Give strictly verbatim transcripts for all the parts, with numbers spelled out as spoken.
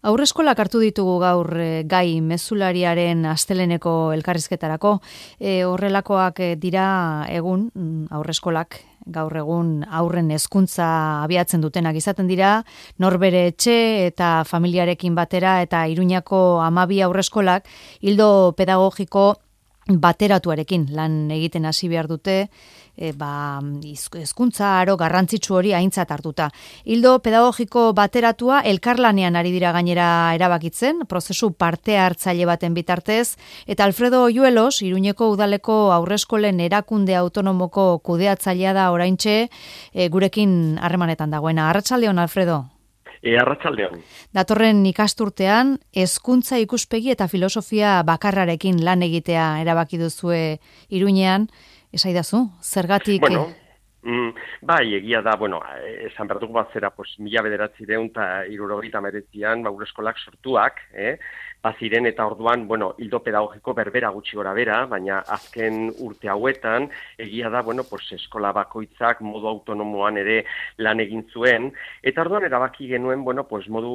Aurreskolak hartu ditugu gaur e, gai mezulariaren asteleneko elkarrizketarako. E, horrelakoak e, dira egun aurreskolak gaur egun aurren hezkuntza abiatzen dutenak izaten dira, norbere etxe eta familiarekin batera eta Iruñako hamabi aurreskolak ildo pedagogiko bateratuarekin lan egiten hasi behar dute, e, ba, hezkuntza aro garrantzitsu hori aintzat hartuta. Hildo pedagogiko bateratua elkarlanean ari dira gainera erabakitzen, prozesu parte hartzaile baten bitartez, eta Alfredo Oyuelos, Iruñeko udaleko aurreskolen erakunde autonomoko kudeatzailea da oraintxe, e, gurekin harremanetan dagoena. Arratsaldeon, Alfredo. E, arratsaldeon. Datorren ikasturtean, hezkuntza ikuspegi eta filosofia bakarrarekin lan egitea erabaki duzue Iruñean, esaidazu, zergatik... Bueno, mm, bai, egia da, bueno, esan behar dugu bat zera, pues, mila bederatzireun eta hirurogeita hemeretzian, ba, eskolak sortuak, eh? Baziren eta orduan, bueno, hildo pedagogiko berbera gutxi gora bera, baina azken urte hauetan, egia da, bueno, pues, eskola bakoitzak modu autonomoan ere lan egin zuen, eta orduan erabaki genuen, bueno, pues, modu,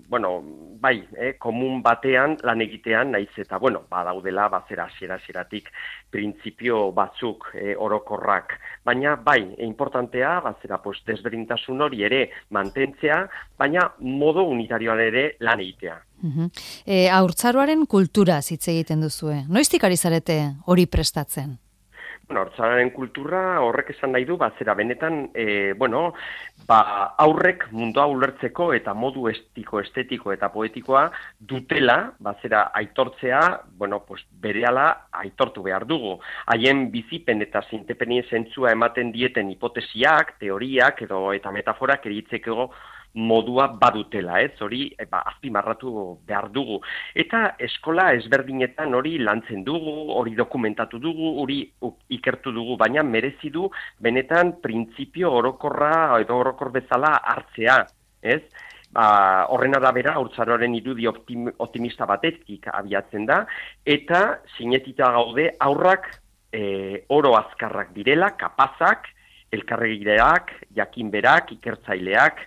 bueno, bai, eh, komun batean lan egitean, naiz eta, bueno, badaudela, bazera, hasiera-hasieratik printzipio batzuk eh, orokorrak, baina, bai, e, importantea, bazera, pues, desberdintasun hori ere mantentzea, baina modu unitarioan ere lan egitea. Uh-huh. E, haurtzaroaren kultura hitz egiten duzue. Noiztik ari zarete hori prestatzen? Bueno, haurtzaroaren kultura horrek esan nahi du, bazera benetan, e, bueno, ba, aurrek mundua ulertzeko eta modu estiko, estetiko eta poetikoa dutela, bazera aitortzea, bueno, pues, berehala aitortu behar dugu. Haien bizipen eta zintepenien zentzua ematen dieten hipotesiak, teoriak edo eta metaforak eritzeko modua badutela, ez, hori ba, azpimarratu behar dugu. Eta eskola ezberdinetan hori lantzen dugu, hori dokumentatu dugu, hori ikertu dugu, baina merezi du benetan printzipio orokorra edo orokor bezala hartzea, ez? Ba, horren arabera, haurtzaroaren irudi optim, optimista batetik abiatzen da, eta sinetita gaude aurrak e, oro azkarrak direla, kapazak, elkarregireak, jakinberak, ikertzaileak,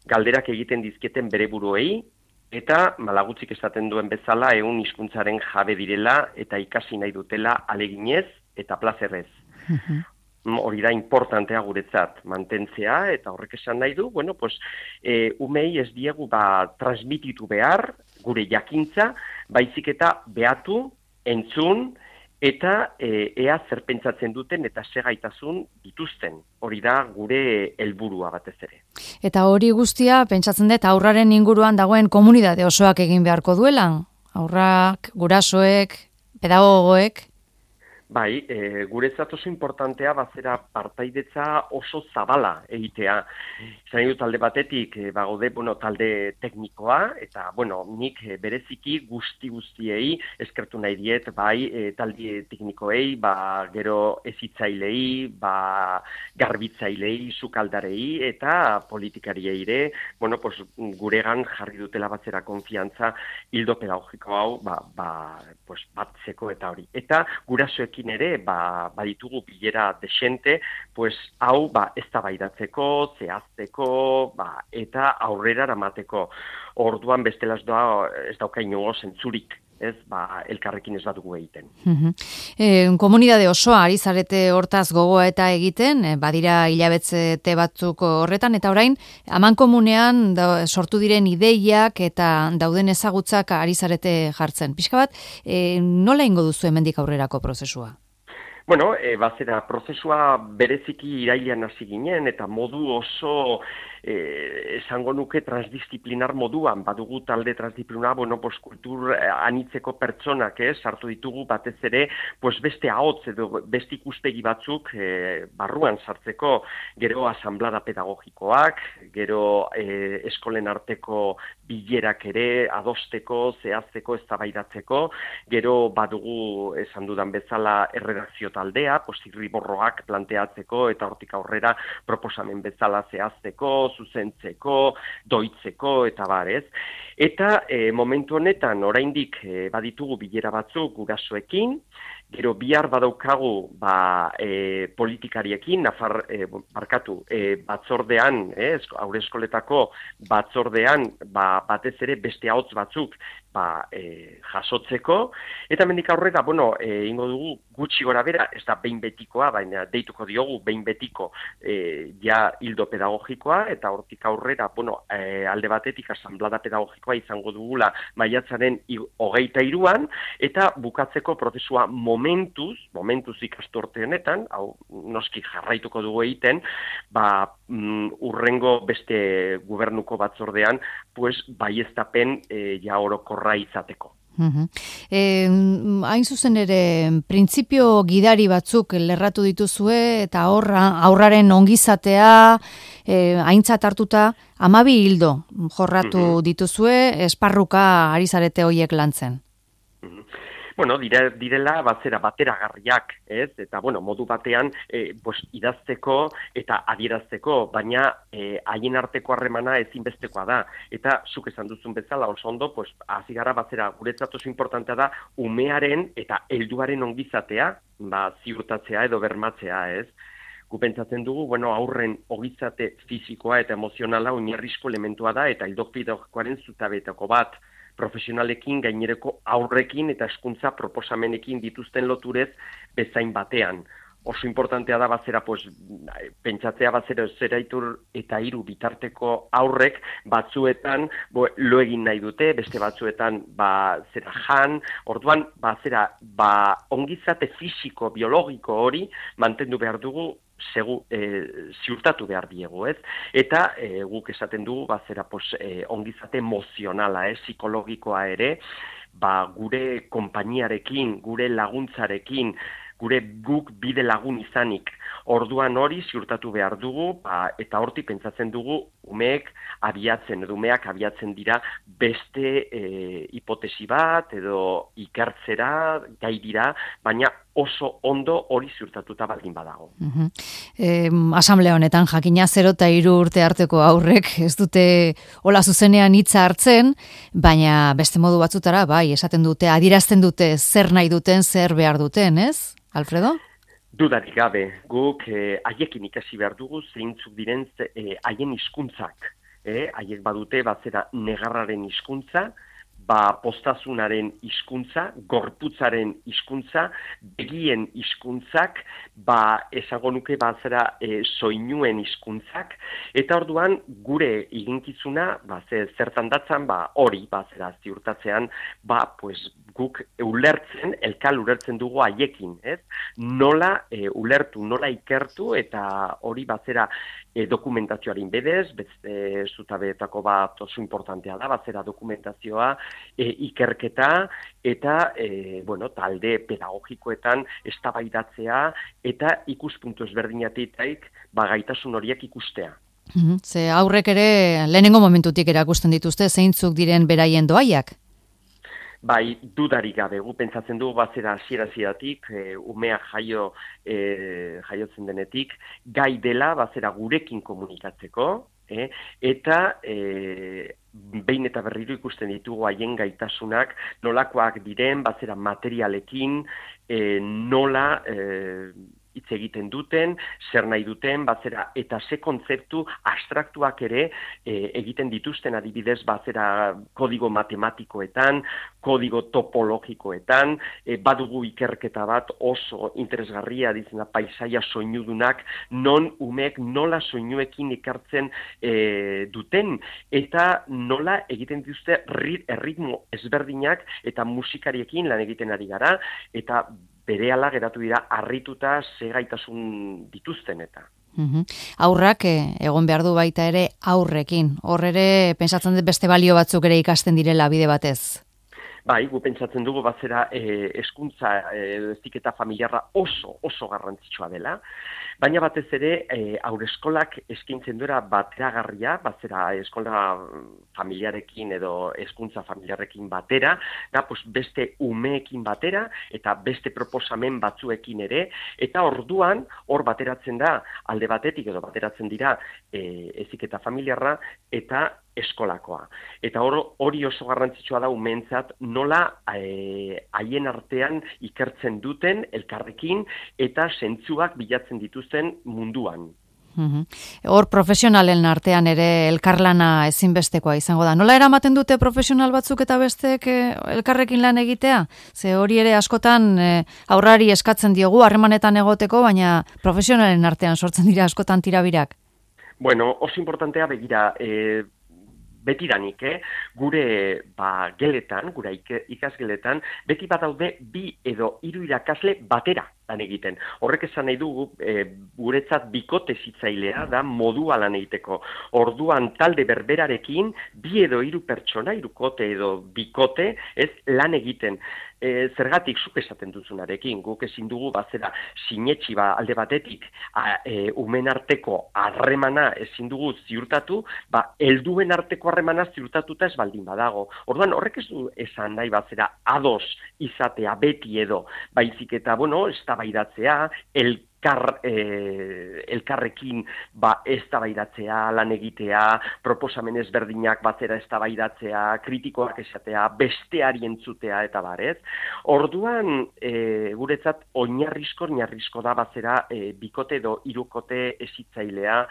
galderak egiten dizketen bere buruei, eta malagutzik esaten duen bezala ehun hizkuntzaren jabe direla eta ikasi nahi dutela aleginez eta plazerrez. Uh-huh. Hori da importantea guretzat mantentzea, eta horrek esan nahi du, bueno, pues, e, umei ez diegu ba, transmititu behar gure jakintza, baizik eta behatu, entzun, eta e, ea zer pentsatzen duten eta segaitasun dituzten. Hori da gure helburua batez ere. Eta hori guztia, pentsatzen dut, aurraren inguruan dagoen komunitate osoak egin beharko duela? Aurrak, gurasoek, pedagogoek? Bai, e, guretzat oso importantea bazera partaidetza oso zabala egitea. Zan dut talde batetik, e, bagode, bueno, talde teknikoa, eta, bueno, nik e, bereziki guzti guztiei eskertu nahi diet, bai, e, talde teknikoei, ba, gero ezitzailei, ba, garbitzailei, sukaldarei, eta politikariei ere, bueno, pues, guregan jarri dutela batzera konfiantza hildo pedagogiko hau, ba, ba, pues, batzeko eta hori. Eta gurasoek ere, ba, baditugu bilera desente, pues, hau, ba, eztabaidatzeko, zehazteko, ba, eta aurrera eramateko. Orduan bestela ez da, ez dauka inongo zentzurik, ez, ba, elkarrekin ez badugu egiten. Uh-huh. E, komunidade osoa ari zarete hortaz gogoa eta egiten, e, badira hilabetzete batzuk horretan, eta orain, amankomunean da, sortu diren ideiak eta dauden ezagutzak ari zarete jartzen. Pixka bat, e, nola ingo duzu hemendik aurrerako prozesua? Bueno, e, bazera, prozesua bereziki irailean hasi ginen, eta modu oso, e, esango nuke, transdisziplinar moduan, badugu talde transdisziplinar, bueno, pues, kultur eh, anitzeko pertsonak, eh, sartu ditugu batez ere, pues, beste ahotz edo beste ikuspegi batzuk eh, barruan sartzeko, gero asanblada pedagogikoak, gero eh, eskolen arteko bilerak ere adosteko, zehazteko, eztabaidatzeko, gero badugu esan dudan bezala erredakzio taldea, pues, irriborroak planteatzeko eta hortik aurrera proposamen bezala zehazteko, zuzentzeko, doitzeko eta bar, ez? Eta e, momentu honetan oraindik e, baditugu bilera batzuk gurasoekin, gero bihar badaukagu ba, e, politikariekin, nafar, e, barkatu, e, batzordean, e, haur eskoletako batzordean, ba, batez ere beste ahots batzuk ba, e, jasotzeko, eta mendik aurrera, bueno, e, ingo dugu gutxi gora bera, ez da behin betikoa, baina deituko diogu behin betiko e, ja hildo pedagogikoa, eta hortik aurrera, bueno, e, alde batetik asamblada pedagogikoa izango dugula maiatzaren hogeita hiruan, eta bukatzeko prozesua momentuz, momentuz ikasturte honetan, hau noski jarraituko dugu egiten, ba, mm, urrengo beste gobernuko batzordean, pues, baieztapen e, ja orokorra izateko. Uhum. E, hain zuzen ere, printzipio gidari batzuk lerratu dituzue, eta horra, aurraren ongizatea, e, aintzat hartuta, hamabi hildo jorratu uhum. dituzue, esparruka ari zarete hoiek lantzen. Uhum. Bueno, dire, direla bazera bateragarriak, ez? Eta, bueno, modu batean e, bos, idazteko eta adierazteko, baina e, haien arteko harremana ezinbestekoa da. Eta, zuk esan duzun bezala, oso ondo, pues, hasi gara bazera, guretzat oso importantea da, umearen eta helduaren ongizatea, ba, ziurtatzea edo bermatzea, ez? Gu pentsatzen dugu, bueno, aurren ogizate fisikoa eta emozionala oinarrizko elementua da, eta hildo pedagogikoaren zutabetako bat, profesionalekin, gainereko aurrekin eta hezkuntza proposamenekin dituzten loturez bezain batean. Oso importantea da bazera, pues, pentsatzea bazera zeraitur eta hiru bitarteko aurrek batzuetan bo, lo egin nahi dute, beste batzuetan ba, zera jan, orduan bazera ba, ongizate fisiko, biologiko hori mantendu behar dugu Segu, e, ziurtatu behar diegu, ez? Eta e, guk esaten dugu, bazera, pos, e, ongizate emozionala, eh? Psikologikoa ere, ba, gure konpainiarekin, gure laguntzarekin, gure guk bide lagun izanik, orduan hori ziurtatu behar dugu, ba, eta horti pentsatzen dugu, umeek abiatzen, edo umeak abiatzen dira beste e, hipotesi bat, edo ikertzera, gai dira, baina oso ondo hori ziurtatuta baldin badago. Uh-huh. E, asamblea honetan jakina zero eta hiru urte arteko aurrek ez dute hola zuzenean hitza hartzen, baina beste modu batzutara bai, esaten dute, adierazten dute zer nahi duten, zer behar duten, ez? Alfredo? Dudarik gabe, guk eh, haiekin ikasi behar dugu zeintzuk diren eh, haien hizkuntzak. Eh? Haiek badute bazera negarraren hizkuntza, ba postazunaren hizkuntza, gorputzaren hizkuntza, begien hizkuntzak, ba esango nuke bazera e, soinuen hizkuntzak, eta orduan gure eginkizuna, ba zertan datzan, ba hori bazera ziurtatzean, ba pues guk ulertzen, elkal ulertzen dugu haiekin, ez? Nola e, ulertu, nola ikertu, eta hori bazera e, dokumentazioaren bedez, beste zutabeetako bat oso importantea da, bazera dokumentazioa, E, ikerketa eta e, bueno, talde pedagogikoetan eztabaidatzea eta ikuspuntu ezberdinetatik ba gaitasun horiek ikustea. Mm-hmm. Ze aurrek ere lehenengo momentutik erakusten dituzte zeintzuk diren beraien doaiak? Bai, dudarik gabe, gu pentsatzen dugu bazera hasiera-hasieratik, e, umea jaio, e, jaiotzen denetik, gai dela bazera gurekin komunikatzeko, e, eta e, behin eta berriro ikusten ditugu haien gaitasunak, nolakoak diren, bazera materialekin, e, nola e, hitz egiten duten, zer nahi duten, bazera, eta ze kontzeptu abstraktuak ere e, egiten dituzten adibidez, bazera kodigo matematikoetan, kodigo topologikoetan, e, badugu ikerketa bat oso interesgarria dizena paisaia soinudunak, non umeek nola soinuekin ikertzen e, duten, eta nola egiten dituzte erritmo ezberdinak eta musikariekin lan egiten ari gara, eta berehala geratu dira harrituta ze gaitasun dituzten eta. Uhum. Aurrak eh, egon behar du baita ere aurrekin. Hor ere pentsatzen dut beste balio batzuk ere ikasten direla bide batez. Bai, gu pentsatzen dugu bazera eh, hezkuntza eh, heziketa familiarra oso oso garrantzitsua dela. Baina batez ere, e, haurreskolak eskaintzen duera bateragarria, bazera eskola familiarekin edo hezkuntza familiarekin batera, da, pues, beste umeekin batera eta beste proposamen batzuekin ere, eta orduan hor bateratzen da alde batetik edo bateratzen dira e, heziketa familiarra eta eskolakoa. Eta hori oso garrantzitsua da umeentzat nola haien e, artean ikertzen duten elkarrekin eta zentzuak bilatzen dituzten munduan. Hor profesionalen artean ere elkarlana ezinbestekoa izango da. Nola eramaten dute profesional batzuk eta besteek elkarrekin lan egitea? Ze hori ere askotan aurrari eskatzen diogu harremanetan egoteko, baina profesionalen artean sortzen dira askotan tirabirak. Bueno, oso importantea begira, e, betidanik, eh? gure ba, geletan, gure ikasgeletan, beti bat daude bi edo hiru irakasle batera lan egiten. Horrek esan nahi dugu, e, guretzat bikote zitzailea da modua lan egiteko. Orduan talde berberarekin, bi edo hiru pertsona, hirukote edo bikote, ez lan egiten. E, zergatik zuk esaten duzunarekin, guk ezin dugu bazera sinetxi ba alde batetik a, e, umen arteko harremana ezin dugu ziurtatu, ba helduen arteko harremana ziurtatuta ez baldin badago. Orduan horrek ez du esan nahi bazera ados izatea beti edo, baizik eta bueno, eztabaidatzea, el Kar, eh, elkarrekin ba, eztabaidatzea, lan egitea, proposamen ezberdinak batzera eztabaidatzea, kritikoak esatea, besteari entzutea eta barez. Orduan, e, guretzat, oinarrizko, oinarrizko da batzera e, bikote edo hirukote ezitzailea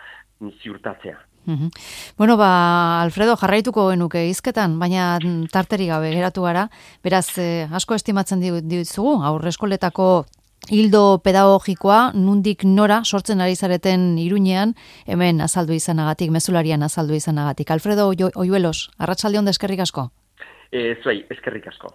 ziurtatzea. Uhum. Bueno, ba, Alfredo, jarraituko genuke hizketan, baina tarteri gabe geratu gara, beraz, eh, asko estimatzen ditugu, aurreskoletako hildo pedagogikoa, nundik nora sortzen ari zareten Iruñean, hemen azaldu izanagatik, mezularian azaldu izanagatik. Alfredo Oyuelos, arratsalde on eskerrik asko. Eh, zuei, eskerrik asko.